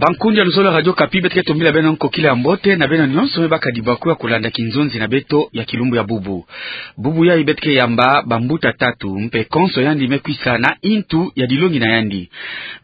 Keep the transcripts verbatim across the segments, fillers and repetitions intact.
Bankundi ya luzolo ya Radio Okapi, beto ke tombila beno nkokila ya mbote na beno nyonso me baka dibakula kulanda kinzonzi na beto ya kilumbu ya bubu. Bubu yayi beto ke yamba bambuta tatu, mpe konso yandi me kwisa na intu ya dilongi na yandi.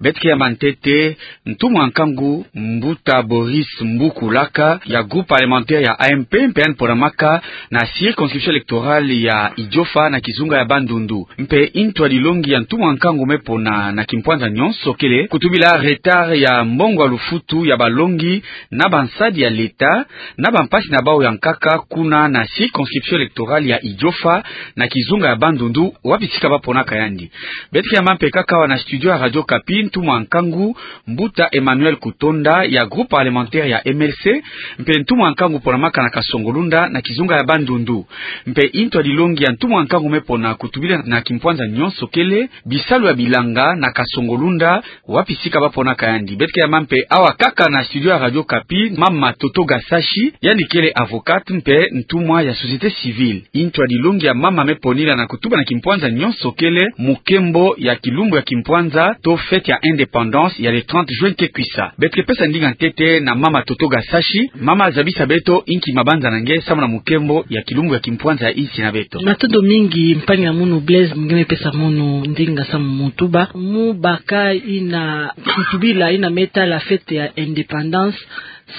Beto ke yamba ntete ntumwa nkangu mbuta Boris Mbuku Laka ya groupe parlementaire ya A M P, mpe yandi ponamaka na circonscription électorale ya Idiofa na kizunga ya Bandundu. Mpe intu ya dilongi ya ntumwa nkangu me pona na kimpwanza nyonso kele kutubila retard ya mbongo ya lufutu ya balongi na bansadi ya leta, na bampasi na bawu ya nkaka kuna na circonscription électorale ya Idiofa na kizunga ya Bandundu, wapi sika ba ponaka yandi. Beto ke yamba mpe kaka awa na studio ya Radio Okapi ntumwa nkangu mbuta Emmanuel Kutonda ya groupe parlementaire ya M L C, mpe ntumwa nkangu ponamaka na Kasongo-Lunda na kizunga ya Bandundu. Mpe intu ya dilongi ya ntumwa nkangu me pona kutubila na kimpwanza nyonso kele bisalu ya bilanga na Kasongo-Lunda, wapi sika ba ponaka yandi. Beto ke yamba mpe awa kaka na studio ya Radio Okapi mama Toto Gasashi, yandi kele avocate mpe ntumwa ya société civile. Intu ya dilongi ya mama me ponila na kutuba na kimpwanza nyonso kele mukembo ya kilumbu ya kimpwanza to fête ya indépendance ya le trente juin ke kwisa. Beto ke pesa ndinga ntete na mama Toto Gasashi, mama zabisa beto inki mabanza na nge samu na mukembo ya kilumbu ya kimpwanza ya insi na beto. Matondo mingi mpangi ya munu Blaise, nge me pesa munu ndinga samu mutuba. Mu baka yina kutubila yina me tala fête ya indépendance,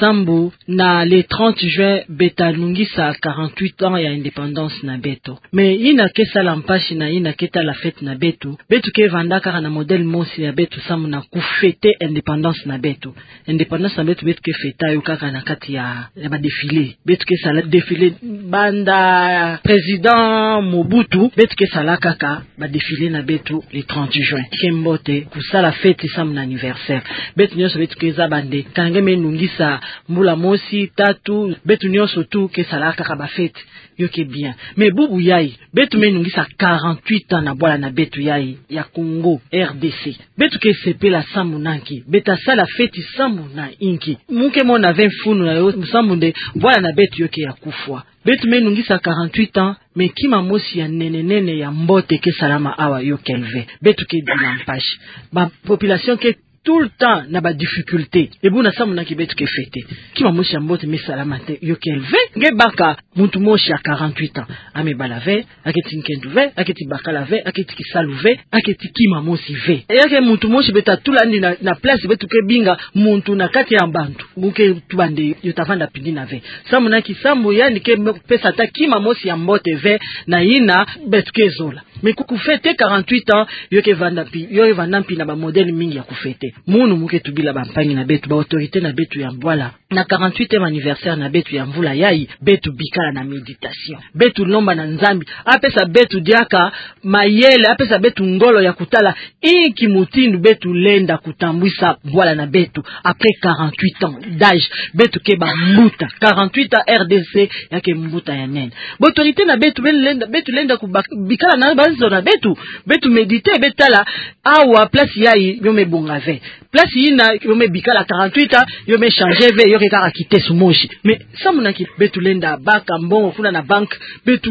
sambu na le trente juin beta nungisa quarante-huit ans ya indépendance na beto. Mais yina ke sala mpasi na yina ke tala fête na beto, beto ke vanda kaka na modèle mosi ya beto samu na kufêter indépendance na beto. Indépendance na beto, beto ke fêter yo kaka na kati ya, ya ba défilé. Beto ke sala défilé banda président Mobutu, beto ke sala kaka ba défilé na beto le trente juin. Ke mbote kusala fête samu na anniversaire. Beto nyonso beto ke zaba nde, kana nge me nungisa mbula mosi, tatu, beto nyonso tout ke sala kaka ba fête. Yo ke bien. Mais bubu yayi, beto me nungisa quarante-huit ans na bwala na beto yayi ya Congo R D C. Beto ke sepela samu na nki? Beta sala fête samu na inki? Mu ke mona ve mfunu na yo, samu nde bwala na beto yo ke ya kufwa. Beto me nungisa quarante-huit ans, mais kima mosi ya nene nene ya mbote ke salama awa yo kele ve. Beto ke dila mpasi. Ba population ke tout le temps na ba difficulté. E buna samu na nki beto ke fêter? Kima mosi ya mbote me salama te, yo kele ve. Nge baka muntu mosi ya quarante-huit ans, ame bala ve, aketi nkendu ve, aketi bakala ve, aketi kisalu ve, aketi kima mosi ve. E ya ke muntu mosi beta tula yandi na, na place beto ke binga muntu na kati ya bantu. Mu ke tuba nde yo ta vanda pindina ve. Samu na nki? Samu yandi ke me pesa ata kima mosi ya mbote ve na yina beto ke zola. Mais ku, kufêter quarante-huit ans, yo ke vanda mpi, yo ke vanda mpi na ba modèle mingi ya kufêter. Munu mu ke tubila bampangi na beto, ba autorité na beto ya bwala. Na quarante-huitième anniversaire na beto ya mvula yayi, beto bikala na méditation. Beto lomba na Nzambi apesa beto diaka mayele, apesa beto ngolo ya kutala inki mutindu beto lenda kutambwisa bwala na beto. Après quarante-huit ans d'âge, beto ke bambuta. Quarante-huit ans R D C, ya ke mbuta ya nene. Ba autorité na beto, beto lenda, beto lenda kubak-, bikala na banzo na beto, beto méditer, beto tala, awa place yayi yo me bonga ve. Place yina yo me bikala quarante-huit ans, yo me changer ve, yo ke kaka kitese mosi. Mais samu na nki? Beto lenda baka mbongo kuna na banque, beto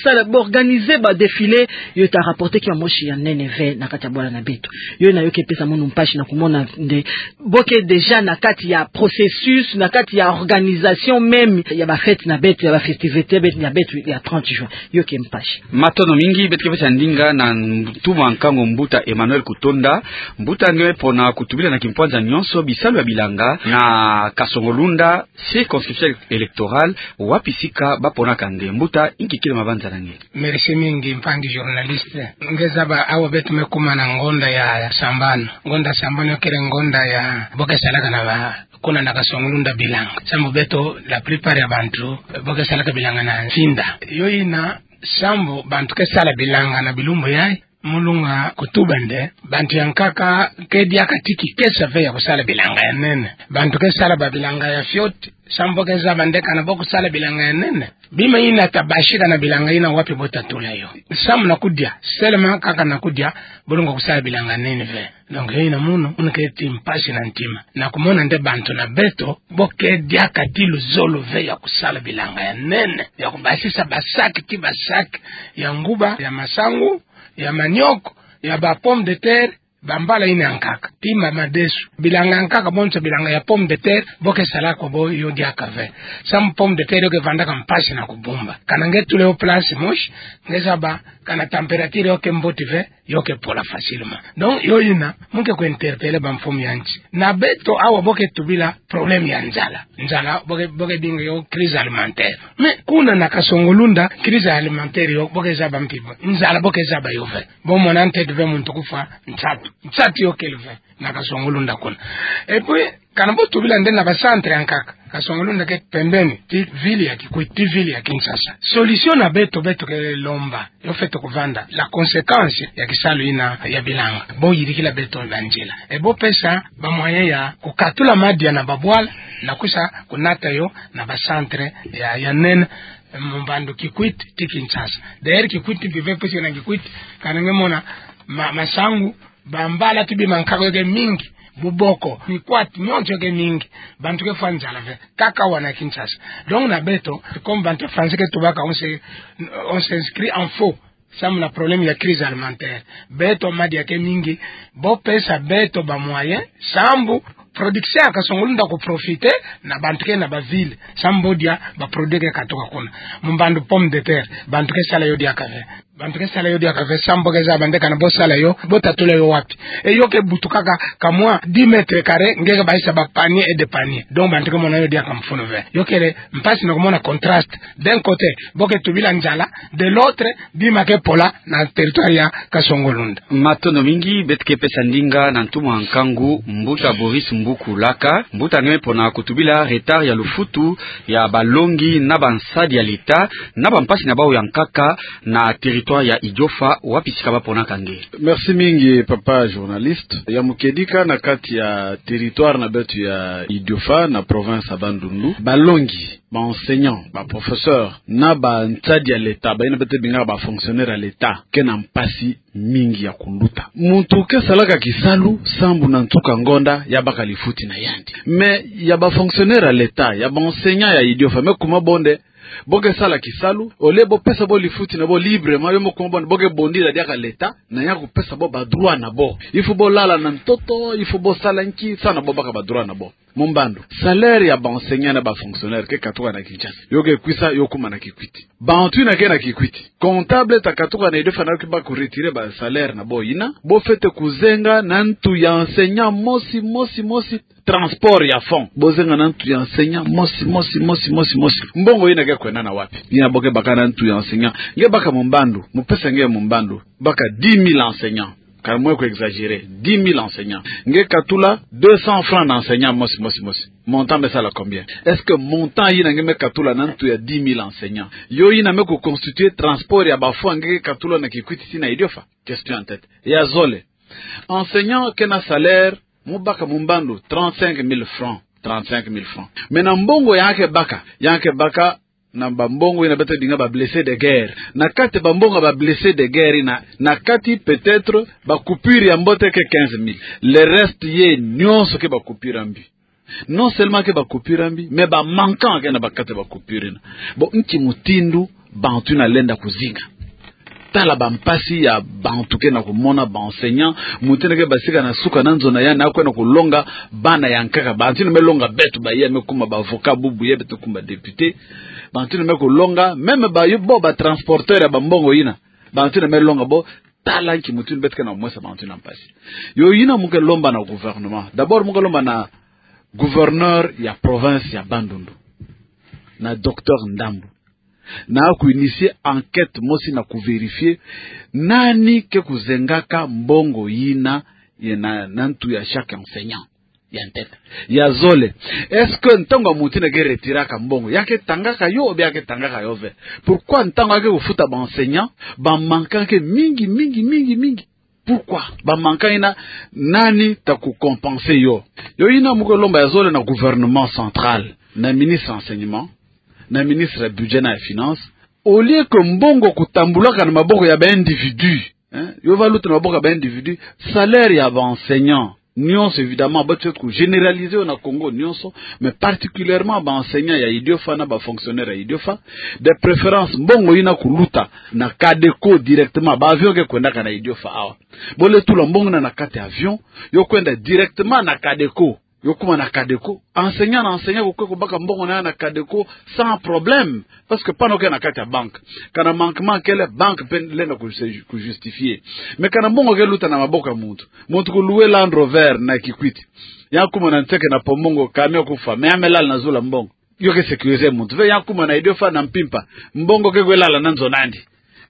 sala, ba organiser ba défilé, yo ta rapporter kima mosi ya nene ve na kati ya bwala na beto. Yo yina yo ke pesa munu mpasi na kumona nde bo ke déjà na kati ya processus, na kati ya organisation même ya ba fête na beto, ya ba festivité beto, ya beto ya trente juin. Yo ke mpasi. Matondo mingi. Beto ke pesa ndinga na ntumwa nkangu mbuta Emmanuel Kutonda. Mbuta, nge pona kutubila na kimpwanza nyonso bisalu ya bilanga na Kasongo-Lunda, circonscription électorale, wapi sika ba ponaka nge? Mbuta, inki kele mabanza na nge? Merci mingi mpangi journaliste. Nge zaba awa beto me kuma na ngonda ya, ya sambanu. Ngonda sambanu yo kele ngonda ya bo ke salaka na ba, kuna na Kasongo-Lunda bilanga. Samu beto, la plupart ya bantu, bo ke salaka bilanga na nsinda. Yo yina, samu bantu ke sala bilanga na bilumbu yayi, mu lunga kutuba nde, bantu ya nkaka ke diaka ti kikesa ve ya kusala bilanga ya nene. Bantu ke sala ba bilanga ya fioti, samu bo ke zaba nde kana bo kusala bilanga ya nene. Bima yina ta basika na bilanga yina, wapi bo ta tula yo? Samu na kudia, seulement kaka na kudia, bo lungwa kusala bilanga ya nene ve. Donc, yo yina munu, munu ke ti mpasi na ntima. Na kumona nde bantu na beto, bo ke diaka ti luzolo ve ya kusala bilanga ya nene, ya kubasisa ba sac ti ba sac ya nguba, ya masangu, ya manioc, ya ba pomme de terre, Bambala yina ya nkaka, tima, madesu, bilanga ya nkaka, bonso bilanga ya pomme de terre, bo ke sala kwa bo yo diaka ve. Samu pomme de terre yo ke vandaka mpasi na kubumba. Kana nge tula yo place mosi, nge zaba, kana température yo ke mbote ve, yo ke pola facilement. Donc, yo yina, mu ke ku interpeller bamfumu ya nsi. Na beto awa bo ke tubila problème ya nzala. Nzala, bo ke, bo ke dinga yo crise alimentaire. Mais kuna na Kasongo-Lunda, crise alimentaire yo, bo ke zaba mpi bo. Nzala bo ke zaba yo ve. Bo mona ntete ve muntu kufwa nsatu. Nsatu yo kele ve. Na Kasongo-Lunda kuna. Et puis, kana bo tubila nde na ba centre ya nkaka. Kasongo-Lunda ke pembeni, ti ville ya Kikwit, ti ville ya Kinshasa. Solution na beto, beto ke lomba, yo fwete kuvanda, la conséquence ya kisalu yina ya bilanga. Bo yirikila beto ba nzila. Et bo pesa ba moyen ya kukatula madia na babwala, na kwisa kunata yo na ba centre ya, ya nene, mu mbandu Kikwit, ti Kinshasa. D'ailleurs, Kikwit mpi ve puisque na Kikwit, kana nge mona, ma, Masangu, bambala ti bima nkaka yo ke mingi, buboko, mikwatu, nyonso yo ke mingi, bantu ke fwa nzala ve, kaka wana Kinshasa. Donc na beto, comme bantu ya français ke tubaka, on se, on s'inscrit en faux. Samu na problème ya crise alimentaire. Beto madia ke mingi, bo pesa beto ba moyen, sambu production ya Kasongo-Lunda ku profiter na bantu ke na ba ville, sambu bo dia ba produit ke katuka kuna. Mu mbandu pomme de terre, bantu ke sala yo diaka ve. Bantu ke sala yo diaka ve, samu bo ke zaba nde kana bo sala yo, bo ta tula yo wapi? Et yo ke butukaka ka mwa dix mètres carrés, nge ke baisa ba panier et des paniers. Donc bantu ke mona yo diaka mfunu ve. Yo kele mpasi na kumona contraste. D'un côté, bo ke tubila nzala, de l'autre, bima ke pola na territoire ya Kasongo-Lunda. Matondo mingi, beto ke pesa ndinga na ntumwa nkangu, Mbuta Boris Mbuku Laka, mbuta nge me pona kutubila retard ya lufutu ya balongi na bansadi ya l'État, na bampasi na bawu ya nkaka na territoire ya Idiofa, wapi sika ba ponaka nge. Merci mingi, papa journaliste. Ya mukedika, na kati ya territoire na beto ya Idiofa, na province ya Bandundu, balongi, ba enseignants, ba professeurs, na bansadi ya l'État, bayina beto bingaka ba fonctionnaires ya l'État, ke na mpasi mingi ya kunduta. Muntu ke salaka kisalu, sambu na nsuka ngonda, ya baka lifuti na yandi. Mais ya ba fonctionnaires ya l'État, ya ba enseignants ya Idiofa, me kuma bo nde, bo ke sala kisalu, au lieu bo pesa bo lifuti na bo librement, yo me kuma bo nde, bo ke bondila diaka l'État, na ya kupesa bo ba droits na bo. Il faut bo lala na ntoto, il faut bo sala nki, samu na bo baka ba droits na bo. Mu mbandu, salaire ya ba enseignants na ba fonctionnaires ke katuka na Kinshasa, yo ke kwisa, yo kuma na Kikwit. Bantu yina ke na Kikwit, comptable ta katuka na Idiofa na yo ke baka ku retirer ba salaire na bo yina, bo fwete kuzenga na ntu ya enseignant mosi, mosi, mosi, transport ya fonds. Bo zenga na ntu ya enseignant mosi, mosi, mosi, mosi, mosi. Mbongo yina ke kwendana wapi? Yina bo ke baka na ntu ya enseignant. Nge baka mu mbandu, mu pesa nge mu mbandu, baka dix mille enseignants. Ka mwe ku exagérer, dix mille enseignants. Nge katula deux cents francs na enseignant mosi, mosi, mosi. Montant me sala combien? Est-ce que montant yina nge me katula na ntu ya dix mille enseignants, yo yina me ku constituer transport ya ba fonds nge ke katula na Kikwit tii na Idiofa? Question en tête. Ya zole. Enseignant ke na salaire, mu baka mu mbandu, trente-cinq mille francs. Trente-cinq mille francs. Mais na mbongo ya ke baka, ya ke baka na ba mbongo yina beto bingaka ba blessés de guerre. Na kati ba mbongo ya ba blessés de guerre yina, na kati peut-être ba coupure ya mbote ke quinze mille. Le reste ye nyonso ke ba coupure ya mbi. Non seulement ke ba coupure ya mbi, mais ba manquant ke na ba kati ba coupure yina. Bon, nki mutindu bantu yina lenda kuzinga? Tala bampasi ya bantu ke na kumona, ba enseignants, muntu yina ke basika na suka na nzo na yandi, na kwenda kulonga bana ya nkaka. Bantu yina me longa beto baye, me kuma ba avocats bubu ye, beto kuma ba députés. Bantu yina me kulonga, même ba yo, bo ba transporteurs ya ba mbongo yina. Bantu yina me longa bo, tala nki mutindu beto ke na kumwesa bantu yina mpasi. Yo yina mu ke lomba na gouvernement. D'abord mu ke lomba na gouverneur ya province ya Bandundu, na docteur Ndambu, na ku initier enquête mosi na ku vérifier nani ke kuzengaka mbongo yina ye na, na ntu ya chaque enseignant. Ya ntete. Ya zole. Est-ce que ntangu muntu yina ke retiraka mbongo, ya ke tangaka yo, ou bien ya ke tangaka yo ve? Pourquoi ntangu ya ke kufuta ba enseignants, ba manquants ke mingi, mingi, mingi, mingi? Pourquoi? Ba manquants yina, nani ta ku compenser yo? Yo yina mu ke lomba ya zole na gouvernement central, na ministre enseignement, na ministre ya budget na ya finance. Au lieu que mbongo kutambulaka na maboko ya ba individu, hein, yo va luta na maboko ya ba individu, salaire ya ba enseignants, nyonso, évidemment, ba tio ku généraliser yo na Congo nyonso, mais particulièrement ba enseignants ya Idiofa na ba fonctionnaires ya Idiofa, de préférence mbongo ina kuluta na Cadeco directement, ba avion ke kwendaka na Idiofa awa. Bo le tula mbongo na, na kati avion, yo kwenda directement na Cadeco. Yo kuma na Cadeco. Enseignant na enseignant kukwe kubaka mbongo na, na Cadeco sans problème. Parce que pana oke na kati ya banque. Kana manquement kele, banque pe lenda ku se-, ku justifier. Mais kana mbongo ke luta na maboko ya muntu. Muntu ku louer Land Rover na Kikwit. Ya kuma na nseke na po mbongo, camion kufa. Mais ya me lala na zulu ya mbongo. Yo ke sécuriser muntu ve? Ya kuma na Idiofa na mpimpa. Mbongo ke kwe lala na nzo nandi?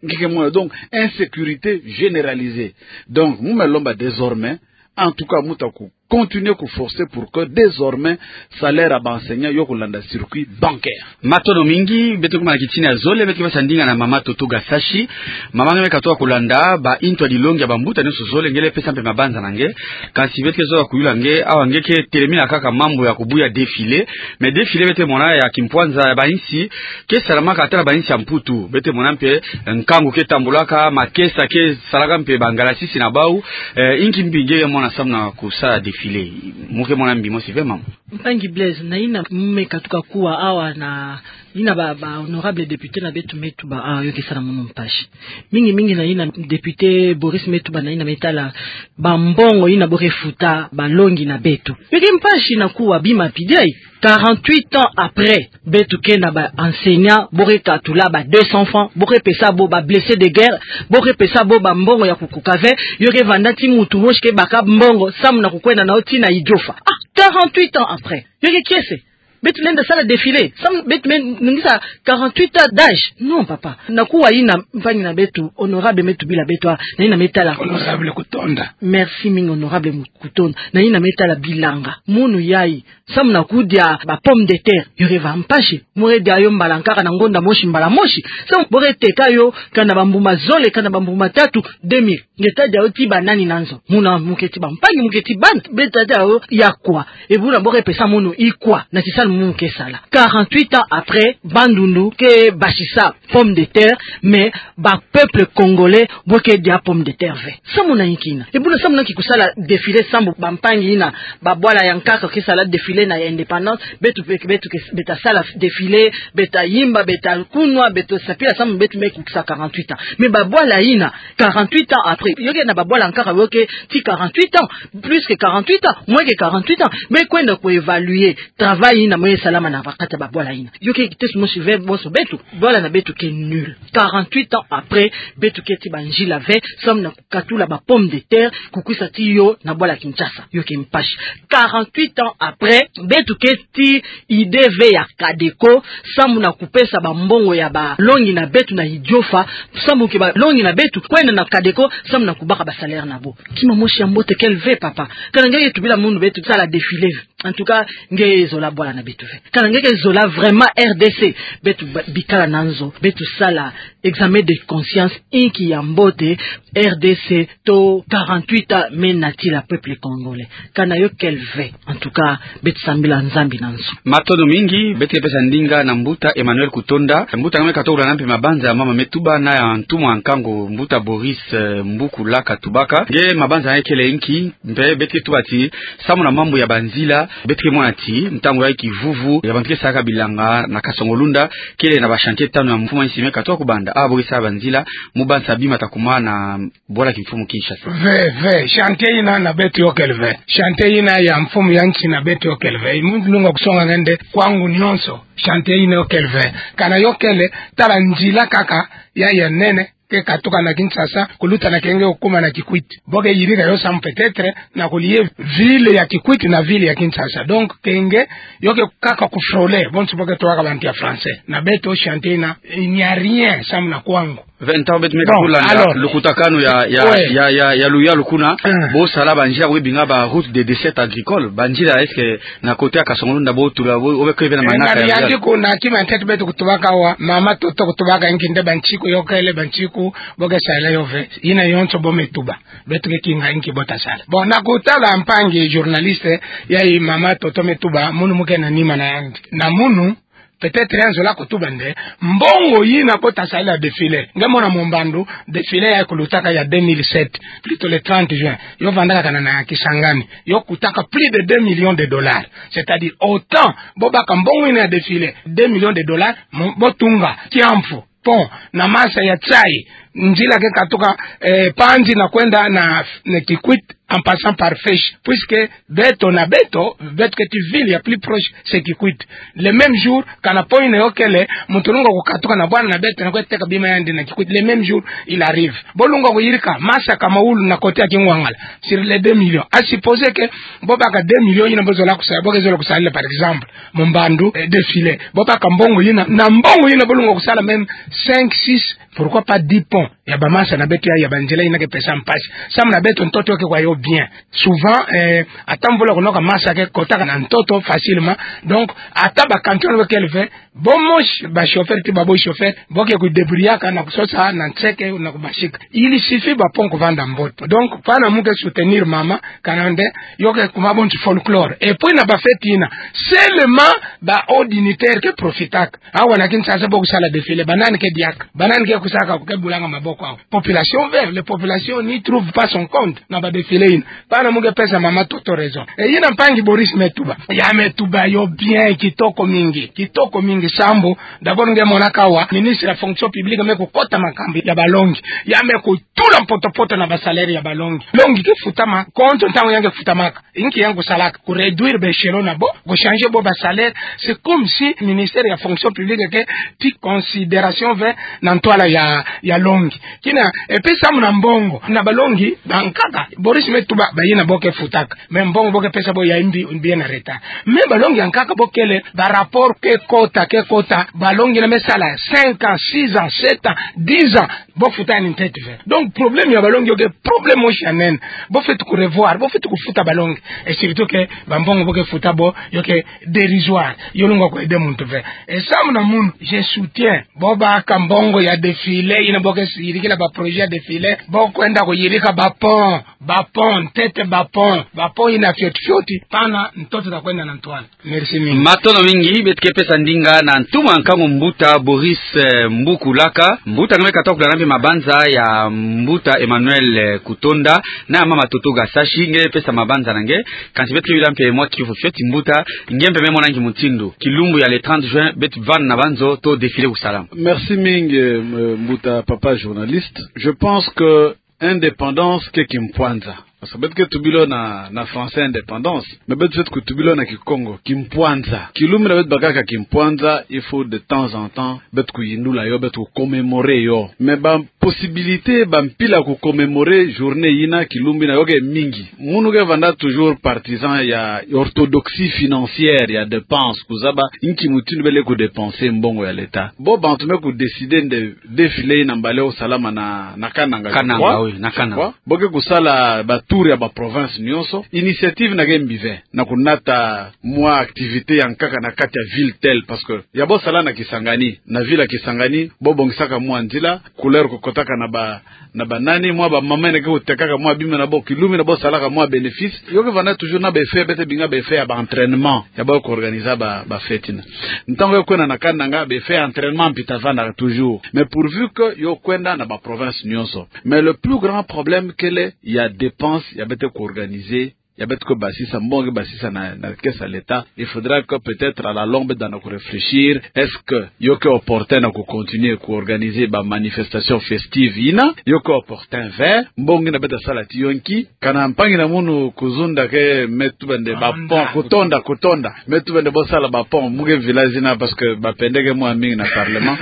Nge ke mona. Donc, insécurité généralisée. Donc, mu me lomba désormais, en tout cas, mu ta ku continuer ku forcer pour que désormais salaire ya ba enseignants yo kulanda circuit bancaire. Matondo mingi. Beto kuma na kitini ya zole, beto ke pesa ndinga na mama Toto Gasashi. Mama, nge me katuka kulanda ba intu ya dilongi ya bambuta nyonso zole, nge le pesa mpe mabanza na nge. Kasi beto ke zola kuyula nge, awa nge ke telemina kaka mambu ya kubuya défilé. Mais défilé beto ke mona ya kimpwanza ya ba insi ke salamaka ata na ba insi ya Mputu. Beto ke mona mpe nkangu ke tambulaka, makesa ke salaka mpe bangalasisi na bau. Eh, inki mbi nge ke mona samu na kusala défilé? Mu ke mona mbi mosi ve, mama? Mpangi Blaise, na ina mu me katuka kuwa awa na ina ba, ba honorable député na beto me tuba, ah, yo ke sala munu mpasi. Mingi mingi na ina député Boris me tuba, na ina me tala bambongo ina bo ke futa balongi na beto. Yo ke mpasi na kuwa bima pidei. Quarante-huit ans après, beto ke na ba enseignants, bo ke katula ba deux cents francs, bo ke pesa bo, ba blessés de guerre, bo ke pesa bo bambongo ya kukuka ve, yo ke vanda ti muntu mosi ke baka mbongo samu na kukwenda na yo ti na Idiofa. Ah, quarante-huit ans après. Yo ke kiese. Beto lenda sala défilé samu beto me ningisa quarante-huit ans d'âge? Non, papa. Na kuwa ina mpangi na beto, honorable me tubila beto, ah, na ina me tala. Honorable Kutonda. Merci mingi, honorable Kutonda. Na ina me tala bilanga. Munu yai, samu na kudia ba pomme de terre, yo ke va mpasi. Mu ke dia yo mbala nkaka na ngonda mosi, mbala mosi. Samu bo ke teka yo kana bambuma zole, kana bambuma tatu, deux mille. Nge ta dia yo ti banani na nzo? Muna mu ke ti bampangi, mu ke ti bana. Beto ta dia yo ya kwa? E buna bo ke pesa munu ikwa na kisalu mu ke sala? Quarante-huit ans après, Bandundu ke basisa pomme de terre, mais ba peuple congolais bo ke dia pomme de terre ve. Samu na inki ina? E buna samu na ki kusala défilé samu bampangi ina, babwala ya nkaka ke sala défilé na indépendance, beto, beto, beto ke, beto ta sala défilé, beto ta yimba, beto ta kunwa, beto ta sapila samu beto me kukisa quarante-huit ans. Mais babwala ina, quarante-huit ans après, yo ke na babwala nkaka yo ke ti quarante-huit ans, plus que quarante-huit ans, moins que quarante-huit ans, me kwenda ku évaluer travail ina me salama na kati ya babwala ina. Yo ke kiteso mosi ve bonso beto, bwala na beto ke nul. Quarante-huit ans après, beto ke ti banzila ve samu na kukatula ba pomme de terre, kukwisa ti yo na bwala Kinshasa. Yo ke mpasi. Quarante-huit ans après, beto ke ti idée ve ya Cadeco samu na kupesa bambongo ya balongi na beto na Idiofa, samu ke balongi na beto kwenda na Cadeco samu na kubaka ba salaire na bo. Kima mosi ya mbote kele ve, papa. Kana nge ke tubila munu beto sala défilé ve, en tout cas, nge ke zola bwala na beto ve. Kana nge ke zola vraiment R D C, beto ba-, bikala na nzo, beto sala examen de conscience, inki ya mbote R D C to quarante-huit ans me natila peuple congolais? Kana yo kele ve. En tout cas, beto sambila Nzambi na nzo. Matondo mingi. Beto ke pesa ndinga na mbuta Emmanuel Kutonda. Mbuta, nge me katuka kulanda mpe mabanza ya mama me tuba na ya ntumwa ya nkangu, mbuta Boris, eh, Mbuku Laka Tubaka. Nge mabanza na nge kele inki? Mpe beto ke tuba ti samu na mambu ya banzila, beto ke mona ti ntangu ya kivuvu, ya bantu ke salaka bilanga na Kasongo-Lunda, kele na ba chantier tanu ya mfumu ya insi me katuka kubanda. Ah, bo ke sala banzila, mu bansa bima ta kuma na bwala kimfumu Kinshasa. Ve, ve, chantier ina na beto yo kele ve. Chantier ina ya mfumu ya insi na beto yo kele ve. Mu lunga kusonga nge nde kwangu nyonso, chantier ina yo kele ve. Kana yo kele, tala nzila kaka ya, ya nene ke katuka na Kinshasa, kuluta na Kenge kukuma na Kikwit. Bo ke yirika yo samu peut-être na kulie ville ya Kikwit na ville ya Kinshasa. Donc, Kenge, yo ke kaka ku frôler, bonso bo ke tobaka bantu ya français. Na beto chantier ina, il n'y a rien, samu na kwangu. Ve, ntangu beto me katuka kulanda lukutakanu ya, ya, ya, ya, ya luyalu kuna, bo sala banzila bo ke binga ba route de desserte agricole, banzila, est-ce que na côté ya Kasongo-Lunda bo tula, bo, obe ke bena manaka ya luyalu? Yantiku na kima ntete beto kutubaka wa, mama Toto kutubaka inki nde bantiku yo kele, bantiku bo ke sala yo ve, ina yonso bo me tuba. Beto ke kinga inki bo ta sala. Bon, na kutala mpangi journaliste, ya i mama Toto me tuba, munu mu ke na nima na yandi. Na munu, Peut-être ya nzola kutuba nde, mbongo yina bo ta sarila défilé. Nge mona mu mbandu, défilé ya kulutaka ya deux mille sept, plutôt le trente juin. Yo vandaka kana na Kisangani. Yo kutaka plus de deux millions de dollars. C'est-à-dire, autant, bo baka mbongo yina ya défilé, deux millions de dollars, mo-, bo tunga, kiamfu, pont, na masa ya tiayi, nzila ke katuka, eh, Panzi na kwenda na, na Kikwit, en passant par Faîche, puisque beto na beto, beto keti ville ya plus proche, c'est Kikwit. Le même jour, kana pont yina yo kele, muntu lunga kukatuka na bwana na beto na kwe teka bima yandi na Kikwit. Le même jour, il arrive. Bo lunga kuyirika, masa Kamaoulou na côté ya Kingwangala, sur les deux millions. À supposer que, bo baka deux millions yina bo zola kusa-, bo ke zola kusarila, par exemple, mu mbandu, eh, défilé. Bo baka mbongo yina, na mbongo yina bo lunga kusala même cinq, six, pourquoi pas dix ponts ya bamasa na beto ya, ya banzila yina ke pesa mpasi. Samu na beto ntoto ke kwa yo bien. Souvent, eh, ata mvula kunoka, masa ke kotaka na ntoto facilement. Donc, ata ba camion kele ve, bo mosi, ba chauffeur ti babo chauffeur, bo ke kudébrouillaka na kusosa na nseke na kubasika. Il suffit ba pont kuvanda mbote. Donc, pana mu ke soutenir mama, kana nde, yo ke kuma bon ti folklore. Et puis na ba fête yina, seulement ba hauts dignitaires ke profitaka. Awa na Kinshasa bo kusala défilé, ba nani ke diaka, ba nani ke kusaka, ke bulanga maboko awa? Population ve, la population n'y trouve pas son compte na ba défilé yina. Pana mu ke pesa mama Toto raison. Eh, yina mpangi Boris me tuba. Ya me tuba yo bien, kitoko mingi, kitoko mingi sambu. D'abord nge monaka awa, ministre ya fonction publique me kukota makambu ya balongi. Ya me kutula mpotopoto na ba salaire ya balongi. Longi ke futama, compte ntangu ya nge futamaka. Inki ya nge kusalaka? Kuréduire ba échelon na bo, kuchanger bo ba salaire. C'est comme si ministère ya fonction publique ke ti considération ve na ntwala ya, ya longi. Kina, et puis samu na mbongo, na balongi bankaka, Boris me tuba, bayina bo ke futaka. Mais mbongo bo ke pesa bo ya mbi, bien en retard. Mais balongi ya nkaka bo kele, ba rapport ke kota, ke kota, balongi yina me sala cinq ans, six ans, sept ans, dix ans, bo futa yandi ntete ve. Donc, problème ya balongi yo ke problème mosi ya nene. Bo fweti kurevoir, bo fweti kufuta balongi. Et surtout que bambongo bo ke futa bo, yo ke dérisoire. Yo lunga kuaider muntu ve. Et samu na munu, je soutiens. Bo baka mbongo ya défilé, yina bo ke yirikila ba projet ya défilé, bo kwenda kuyirika ba pont, ba pont, ntete ba pont, ba pont yina fioti fioti, pana ntoto ta kwenda na ntwala. Merci mingi. Matondo mingi, beto ke pesa ndinga na ntumwa nkangu mbuta Boris, eh, Mbukulaka. Mbuta, nge me katuka kulanda mpe mabanza ya mbuta Emmanuel, eh, Kutonda, na ya mama Toto Gasashi, nge pesa mabanza na nge, kansi beto ke bila mpe mwa kiuvu fioti mbuta, nge mpe me mona nki mutindu kilumbu ya le trente juin, beto vanda na banzo to défilé kusalama? Merci mingi, eh, mbuta papa journaliste. Je pense que indépendance ke kimpwanza. Parce que beto ke tubila yo na, na français indépendance. Mais beto fweti kutubila yo na Kikongo, kimpwanza. Kilumbu yina beto bakaka kimpwanza, il faut de temps en temps, beto kuyindula yo, beto kucommémorer yo. Mais ba possibilité, ba mpila kucommémorer journée yina, kilumbu yina yo ke mingi. Munu ke vanda toujours partisan ya orthodoxie financière, ya dépense, kuzaba nki mutindu bele kudépenser mbongo ya l'État. Bo bantu me kudécider nde défilé yina mbala yo kusalama na, na Kananga, je Kananga, crois. Oui, na Kananga. Je crois. Bo ke kusala ba tour ya ba province nyonso. Initiative yina ke mbi ve, na kunata mwa activité ya nkaka na kati ya ville telle, parce que ya bo sala na Kisangani, na ville ya Kisangani, bo bongisaka mwa nzila, couleur kukotaka na ba, na ba nani, mwa ba mama yina ke kutekaka mwa bima na bo, kilumbu yina bo salaka mwa bénéfice. Yo ke vanda toujours na ba effet, beto ke benga ba effet ya ba entraînement ya ba kuorganiser ba, ba fête yina. Ntangu yo kwenda na Kananga, ba effet ya entraînement mpi ta vanda toujours. Mais pourvu que yo kwenda na ba province nyonso. Mais le plus grand problème kele ya dépense ya beto kuorganiser, ya beto kubasisa, mbongo ke basisa na, na caisse ya l'État. Il faudra que peut-être à la longue beto danda kuréfléchir, est-ce que yo ke opportun na kucontinuer kuorganiser ba manifestation festive yina? Yo ke opportun ve? Mbongo yina beto sala ti yo nki? Kana mpangi na munu kuzunda ke me tuba nde ba pont, Kutonda, Kutonda. Me tuba nde bo sala ba pont mu ke village yina, parce que ba pende ke mwa mingi na parlement.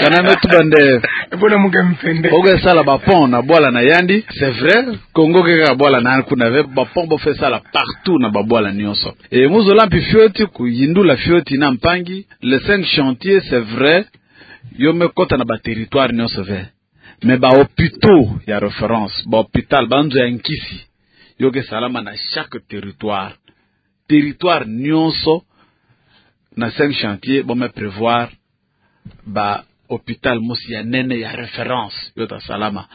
Kana me tuba nde, ebona mu ke mpende, bo ke sala ba pont na bwala na yandi, c'est vrai. Congo ke kaka bwala na yandi kuna ve, ba pont bo fwe sala partout na ba bwala nyonso. Et mu zola mpi fioti kuyindula fioti na mpangi, les cinq chantiers, c'est vrai, yo me kota na ba territoire nyonso ve. Mais ba hôpitaux ya référence, ba hôpital, ba nzo ya nkisi, yo ke salama na chaque territoire. Territoire nyonso na cinq chantiers, bo me prévoir ba hôpital mosi ya nene ya référence yo ta salama.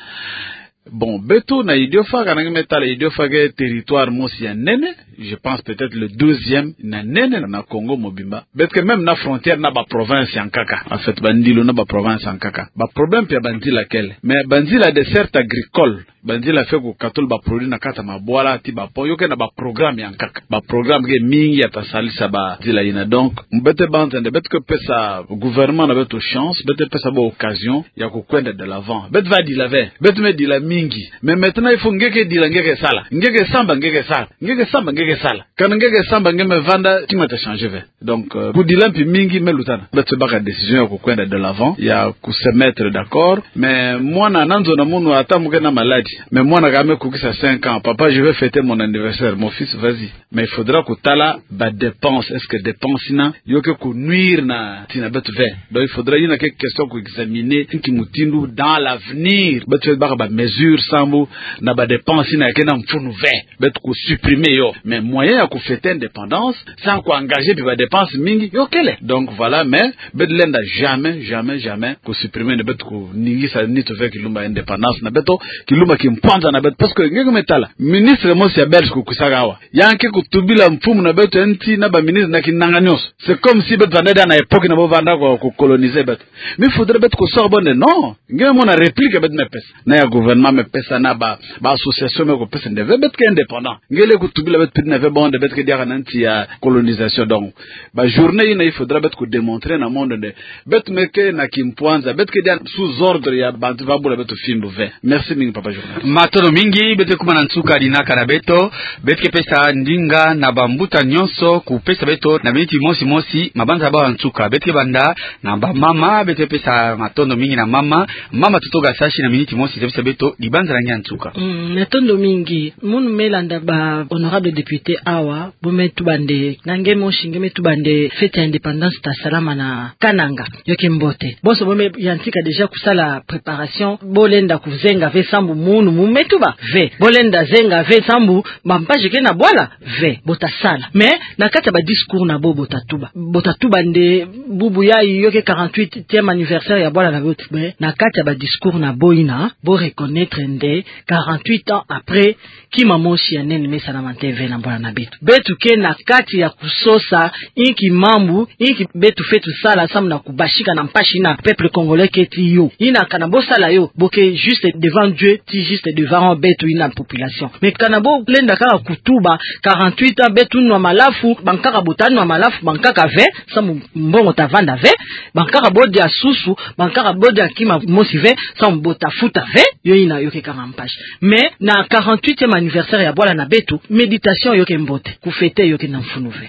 Bon, beto na Idiofa, kana nge me tala Idiofa ke territoire mosi ya nene, je pense peut-être le douzième na nene na Congo mobimba. Beto ke même na frontière na ba province ya nkaka. En fait, bandilu na ba province ya nkaka. Ba problème mpe ya banzila kele. Mais banzila desserte agricole. Banzila fwe kukatula ba produit na kati ya mabwala ti ba pont. Yo ke na ba programme ya nkaka. Ba programme ke mingi ya ta salisa banzila yina. Donc, beto banza nde beto ke pesa gouvernement na beto chance, beto pesa bo occasion ya kukwenda de l'avant. Beto va dila ve. Beto me dila mingi. Mais maintenant, il faut nge ke dila, nge ke sala. Nge ke samba, nge ke sala. Nge ke samba, nge ke sala. Kana nge ke samba, nge me vanda, tima ta changer ve. Donc, euh, kudila mpi mingi me lutana. Beto baka décision ya kukwenda de l'avant, ya ku se mettre d'accord. Mais mwana nanzo na munu ata mu ke na maladi. Mais mwana kame kukisa cinq ans. Papa, je vais fêter mon anniversaire. Mon fils, vas-y. Mais il faudra kutala ba dépense. Est-ce que dépense yina, yo ke kunuire na nsi na beto ve? Donc, il faudra, yina ke question ku examiner, nki mutindu dans l'avenir. Beto baka ba mesure sambu, na ba dépense yina ke na mfunu ve. Beto kusupprimer yo. Mais moyen ya kufêter indépendance, sans ku engager mpi ba dépense mingi, yo kele. Donc voilà, mais beto lenda jamais, jamais, jamais kusupprimer nde beto kuningisa nitu ve kilumbu indépendance na beto, kilumbu kimpwanza na beto. Parce que nge ke me tala, ministre mosi ya Belge kukusaka awa. Ya ke kutubila mfumu na beto ya nsi na ba ministre na kinanga nyonso. C'est comme si beto vandaka na époque na bo vandaka ku, ku coloniser beto. Mais il faudrait beto kusosa bo nde, non. Nge mona réplique beto me pesa. Na ya gouvernement me pesa na ba, ba association me kupesa nde ve beto ke indépendant. Nge le kutubila beto piti na ve bo nde beto ke diaka na nsi ya colonisation. Donc, ba journée yina il faudra beto kudémontrer na monde nde beto me ke na kimpwanza, beto ke dia sous ordre ya bantu va bula beto fimbu ve. Merci mingi, papa journaliste. Matondo mingi, beto ke kuma na nsuka ya dinaka na beto. Beto ke pesa ndinga na bambuta nyonso kupesa beto na miniti mosi mosi mabanza ya bawu ya nsuka. Beto ke banda na bamama, beto ke pesa matondo mingi na mama. Mama Toto Gasashi, na miniti mosi, zebisa beto dibanza na nge ya nsuka. Mm, matondo mingi. Munu me landa ba honorable député awa, bo me tuba nde, na nge mosi nge me tuba nde fête ya indépendance ta salama na Kananga. Yo ke mbote. Bonso bo me yantika déjà kusala préparation, bo lenda kuzenga ve sambu munu mu me tuba ve. Bo lenda zenga ve sambu ba mpasi ke na bwala ve. Bo ta sala. Mais na kati ya ba discours na bo, bo ta tuba. Bo ta tuba nde bubu yayi yo ke quarante-huitième anniversaire ya bwala na beto. Mais na kati ya ba discours na bo yina, bo reconnaître nde quarante-huit ans après, kima mosi ya nene me salama nte ve na bwala na beto. Beto ke na kati ya kusosa inki mambu, inki beto fwe tusala sambu na kubasika na mpasi yina peuple congolais keti yo. Yina kana bo sala yo, bo ke juste devant Dieu, ti juste devant beto yina population. Mais kana bo lenda kaka kutuba, quarante-huit ans beto nwa malafu, bankaka bo ta nwa malafu, bankaka ve, sambu mbongo ta vanda ve, bankaka bo dia susu, bankaka bo dia kima mosi ve, sambu bo ta futa ve, yo yina yo ke kanga mpasi. Mais na quarante-huitième anniversaire ya bwala na beto, méditation yo ke mbote, kufêter yo ke na mfunu ve.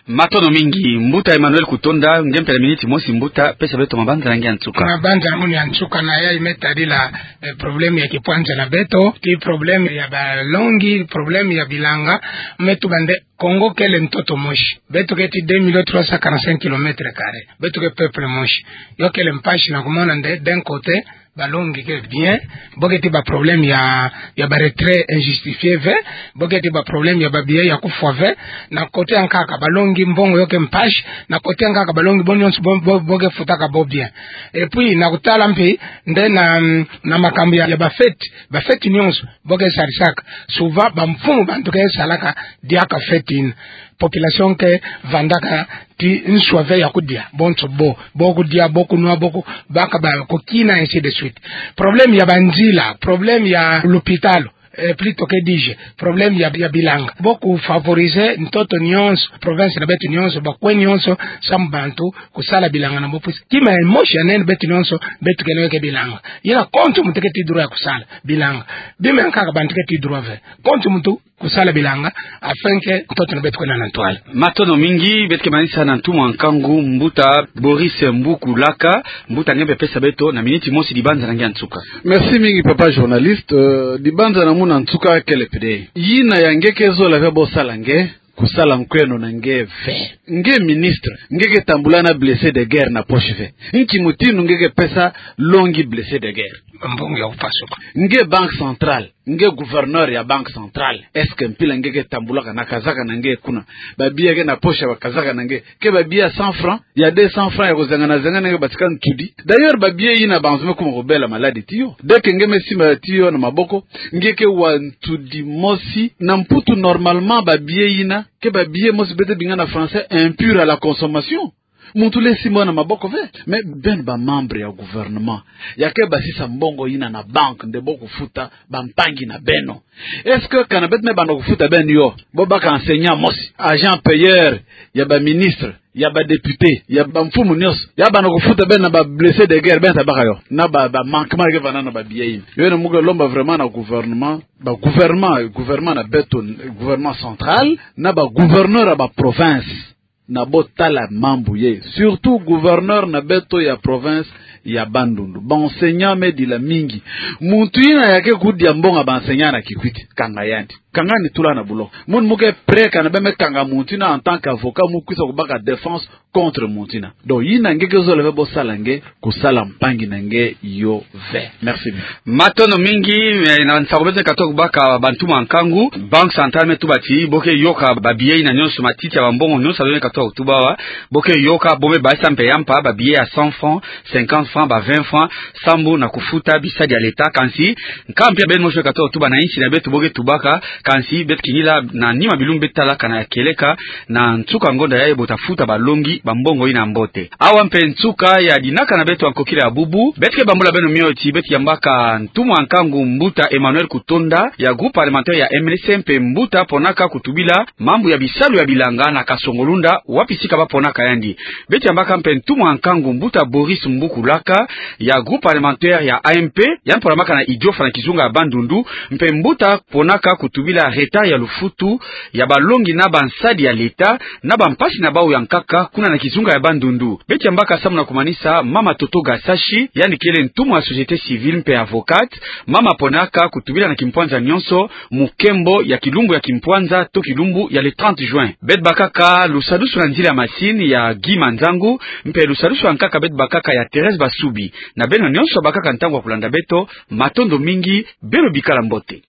Matondo mingi, mbuta Emmanuel Kutonda, nge mpe na miniti mosi mbuta, pesa beto mabanza na nge ya nsuka. Mabanza na munu ya nsuka na yayi me tadila, eh, problème ya kipwanza na beto, ti problème ya balongi, problème ya bilanga, me tuba nde Congo kele ntoto mosi. Beto ke ti deux millions trois cent quarante-cinq kilomètres carrés. Beto ke peuple mosi. Yo kele mpasi na kumona nde, d'un côté, balongi ke bien, bo ke ti ba problème ya, ya ba retrait injustifié ve, bo ke ti ba problème ya ba billet ya kufwa ve, na côté ya nkaka balongi mbongo yo ke mpasi, na côté ya nkaka balongi bo nyonso bo, bo, bo ke futaka bo bien. Et puis, na kutala mpi, nde na, na makambu ya, ya ba fête, ba fête nyonso, bo ke sarisaka. Souvent, bamfumu bantu ke salaka diaka fête yina. Population ke vandaka ti nswa ve ya kudia. Bonso bo, bo kudia, bo kunwa, bo ku, baka ba kukina, ainsi de suite. Problème ya banzila, problème ya lupitalu, eh, plutôt que dis-je, problème ya, ya bilanga. Bo kufavoriser ntoto nyonso, province na beto nyonso, bakwe nyonso, sambu bantu kusala bilanga na bo pusi. Kima ya mosi ya nene beto nyonso, beto ke na yo ke bilanga. Yina kontu muntu ke ti droit ya kusala bilanga. Bima ya nkaka bantu ke ti droit ve. Kontu muntu kusala bilanga, afin que ntoto na beto kwenda na ntwala. Matondo mingi, beto ke manisa na ntu mwa nkangu, mbuta Boris Mbuku Laka, mbuta nge mpe pesa beto na miniti mosi dibanza na nge ya nsuka. Merci mingi, papa journaliste. Euh, dibanza na munu ya nsuka kele pede. Yina ya nge ke zola ve bo sala nge, kusala nkweno na nge ve. Nge ministre, nge ke tambula na blessé de guerre na poche ve. Nki mutindu nge ke pesa longi blessé de guerre? Mbongo ya kupasuka. Nge Banque Centrale, nge gouverneur ya Banque Centrale, est-ce que mpila nge ke tambulaka na kazaka na nge kuna, ba billets ke na poche ya ba kazaka na nge, ke ba billets ya cent francs, ya deux cents francs ya kuzengana zengana, nge batika ntudi? D'ailleurs, ba billets yina banzo me kuma kubela maladi ti yo. Dès que nge me simba ti yo na maboko, nge ke wa ntudi mosi. Na Mputu, normalement, ba billets yina ke ba billets mosi beto bingana français impurs à la consommation. Muntu lenda simba yo na maboko ve. Mais beno ba membres ya gouvernement, ya ke basisa mbongo yina na banque nde bo kufuta bampangi na beno. Est-ce que kana beto me banda kufuta beno yo, bo baka enseignant mosi, agent payeur ya ba ministre, ya ba député, ya bamfumu nyonso, ya banda kufuta beno na ba blessés de guerre, beno tabaka yo na ba, ba manquement ke vanda na ba billets yina? Yo yandi mu ke lomba vraiment na gouvernement, ba gouvernement, gouvernement na beto, gouvernement central, na ba gouverneur ya ba province, na bo tala mambu ye, surtout gouverneur na beto ya province ya Bandundu. Ba enseignant me dila mingi. Muntu yina ya ke kudia mbongo ya ba enseignant na Kikwit, kanga yandi. Kanga yandi, tula na buloko. Munu mu ke prêt kana bê me kanga muntu yina en tant qu'avocat, mu kwisa kubaka défense contre muntu yina. Donc yina nge ke zolele bo sala, nge kusala mpangi na nge yo ve. Merci. Matondo mingi. Eh, na nsangu beto katoka kubaka, ba ntumwa nkangu, Banque Centrale me tuba ti bo ke yoka ba billets yina nyonso, matiti ya bambongo nyonso beto katoka kutuba awa, bo ke yoka, bo me basisa mpe ya mpa ba billets ya cent francs, cinquante francs, ba vingt francs, sambu na kufuta bisadi ya l'État. Kansi nka mpia beno mosi katoka kutuba na insi na beto bo ke tubaka, kansi beto kingila na nima bilumbu beto tala kana ya kieleka, na nsuka ngonda yayi bo tafuta balongi bambongo yina mbote. Awa mpe nsuka ya dinaka na beto ya nkokila ya bubu. Beto ke bambula beno mio ti beto yambaka ntumwa nkangu mbuta Emmanuel Kutonda ya groupe parlementaire ya M L C mpe mbuta ponaka kutubila mambu ya bisalu ya bilanga na Kasongo-Lunda, wapi sika ba ponaka yandi. Beto yambaka mpe ntumwa nkangu mbuta Boris Mbukulaka ya groupe parlementaire ya A M P, yandi ponamaka na Idiofa na kizunga ya Bandundu, mpe mbuta ponaka kutubila retard ya lufutu ya balongi na bansadi ya l'État, na bampasi na bawu ya nkaka kuna na kizunga ya Bandundu. Beto yambaka samu na kumanisa mama Toto Gasashi, yandi kele ntumwa ya société civile mpe avocate, mama ponaka kutubila na kimpwanza nyonso mu nkembo ya kilumbu ya kimpwanza to kilumbu ya le trente juin. Beto bakaka lusadusu na nzila ya masini ya Guy Manzangu, mpe lusadusu ya nkaka beto bakaka ya Thérèse Basubi. Na beno nyonso bakaka ntangu ya kulanda beto, matondo mingi, beno bikala mbote.